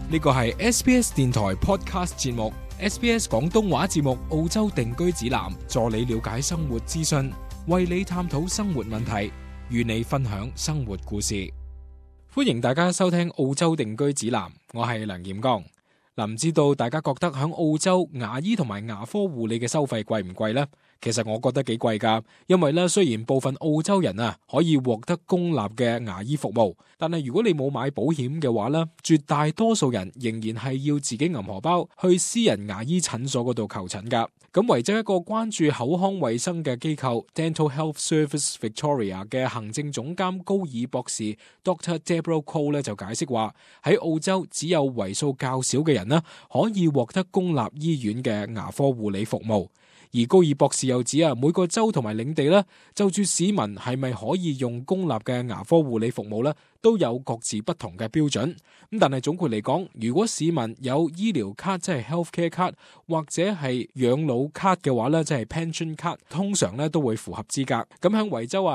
呢個係 SBS 電台 Podcast 節目 SBS 廣東話節目澳洲定居指南，助你了解生活資訊，為你探討生活問題，與你分享生活故事。歡迎大家收聽澳洲定居指南，我係梁炎剛。唔知道大家覺得喺澳洲牙醫同埋牙科護理嘅收費貴唔貴呢？其實我覺得幾貴㗎，因為咧雖然部分澳洲人可以獲得公立嘅牙醫服務，但係如果你冇買保險嘅話咧，絕大多數人仍然係要自己揞荷包去私人牙醫診所嗰度求診㗎。咁維州一個關注口腔衛生嘅機構 Dental Health Service Victoria 嘅行政總監高爾博士 Dr. Deborah Cole 咧就解釋話，喺澳洲只有為數較少嘅人可以獲得公立醫院嘅牙科護理服務。而高爾博士又指每個州同埋領地就住市民係咪可以用公立嘅牙科護理服務都有各自不同嘅標準。咁但係總括嚟講，如果市民有醫療卡，即係 healthcare card 或者係養老卡嘅話即係 pension card， 通常都會符合資格。咁喺維州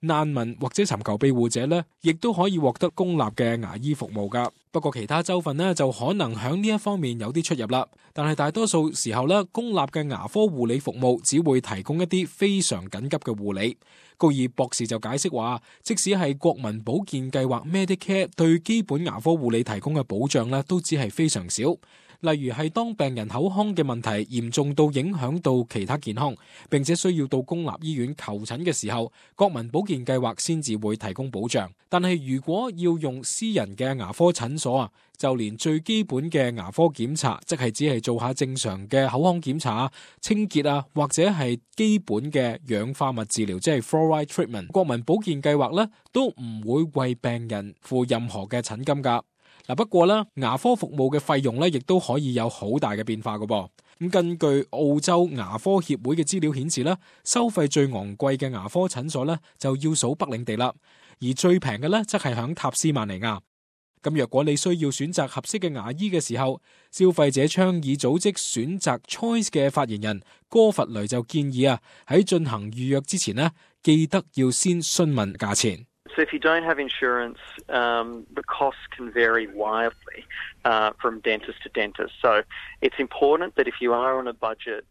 難民或者尋求庇護者亦都可以獲得公立嘅牙醫服務噶。不過其他州份就可能喺呢一方面有啲出入啦。但係大多數時候公立嘅牙科護理服務只會提供一啲非常緊急嘅護理。高爾博士就解釋話，即使係國民保健計劃 Medicare 對基本牙科護理提供嘅保障都只係非常少。例如係當病人口腔嘅問題嚴重到影響到其他健康，並且需要到公立醫院求診嘅時候，國民保健計劃先至會提供保障。但係如果要用私人嘅牙科診所就連最基本嘅牙科檢查，即係只係做下正常嘅口腔檢查、清潔或者係基本嘅氧化物治療，即係 fluoride treatment， 國民保健計劃都唔會為病人付任何嘅診金㗎。不過牙科服務嘅費用亦都可以有好大嘅變化㗎噃。咁根據澳洲牙科協會嘅資料顯示收費最昂貴嘅牙科診所就要數北領地啦，而最平嘅則係響塔斯曼尼亞。咁若果你需要選擇合適嘅牙醫嘅時候，消費者倡議組織選擇 Choice 嘅發言人哥弗雷就建議喺進行預約之前記得要先詢問價錢。So if you don't have insurance, the costs can vary wildly from dentist to dentist. So it's important that if you are on a budget,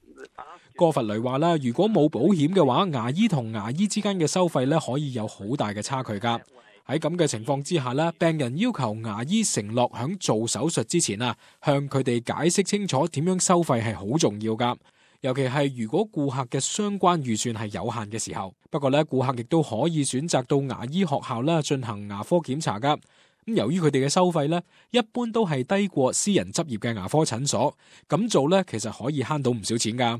哥弗雷話如果冇保險嘅話，牙醫同牙醫之間嘅收費可以有好大嘅差距㗎。喺咁嘅情況之下病人要求牙醫承諾響做手術之前向佢哋解釋清楚點樣收費係好重要㗎。尤其係如果顧客嘅相關預算係有限嘅時候。不過顧客亦都可以選擇到牙醫學校進行牙科檢查㗎。咁由於佢哋嘅收費一般都係低過私人執業嘅牙科診所，咁做其實可以慳到唔少錢㗎。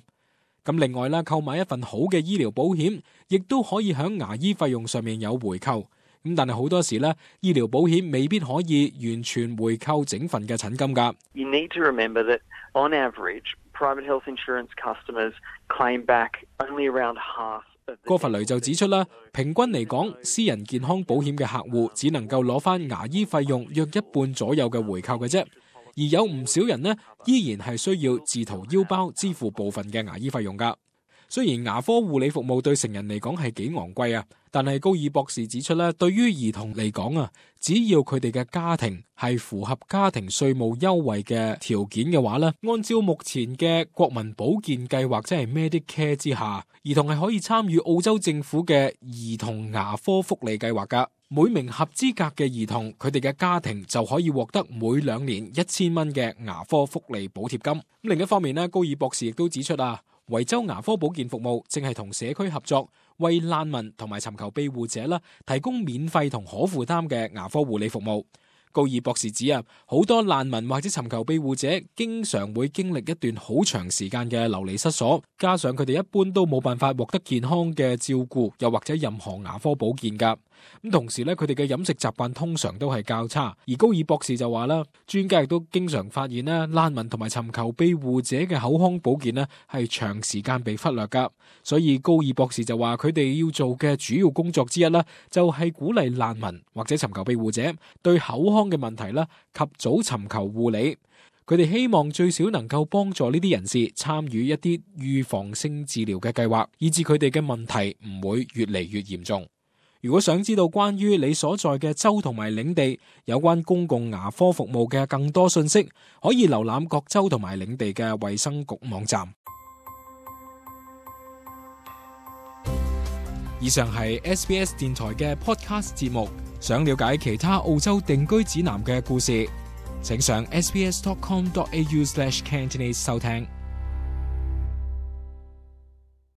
咁另外購買一份好嘅醫療保險，亦都可以喺牙醫費用上面有回扣。咁但係好多時醫療保險未必可以完全回扣整份嘅診金㗎。You need to remember that on average, private health insurance customers claim back only around half. 哥弗雷就指出平均嚟講，私人健康保險嘅客戶只能夠攞翻牙醫費用約一半左右嘅回扣嘅啫，而有唔少人依然係需要自掏腰包支付部分嘅牙醫費用㗎。雖然牙科護理服務對成人嚟講係幾昂貴但係高爾博士指出對於兒童嚟講只要佢哋嘅家庭係符合家庭稅務優惠嘅條件嘅話按照目前嘅國民保健計劃，即係 Medicare 之下，兒童係可以參與澳洲政府嘅兒童牙科福利計劃㗎。每名合資格嘅兒童，佢哋嘅家庭就可以獲得每2年1000蚊嘅牙科福利補貼金。另一方面高爾博士亦都指出維州牙科保健服務正係同社區合作，為難民同埋尋求庇護者提供免費同可負擔嘅牙科護理服務。高爾博士指好多難民或者尋求庇護者經常會經歷一段好長時間嘅流離失所，加上佢哋一般都冇辦法獲得健康嘅照顧，又或者任何牙科保健㗎。咁同時佢哋嘅飲食習慣通常都係較差。而高爾博士就話專家亦都經常發現難民同埋尋求庇護者嘅口腔保健係長時間被忽略㗎。所以高爾博士就話佢哋要做嘅主要工作之一就係鼓勵難民或者尋求庇護者對口腔嘅問題及早尋求護理。佢哋希望最少能夠幫助呢啲人士參與一啲預防性治療嘅計劃，以致佢哋嘅問題唔會越嚟越嚴重。如果想知道關於你所在嘅州同埋領地有關公共牙科服務嘅更多信息，可以瀏覽各州同埋領地嘅衛生局網站。以上係 SBS 電台嘅 podcast 節目。想了解其他澳洲定居指南嘅故事，請上 sbs.com.au/Cantonese 收聽。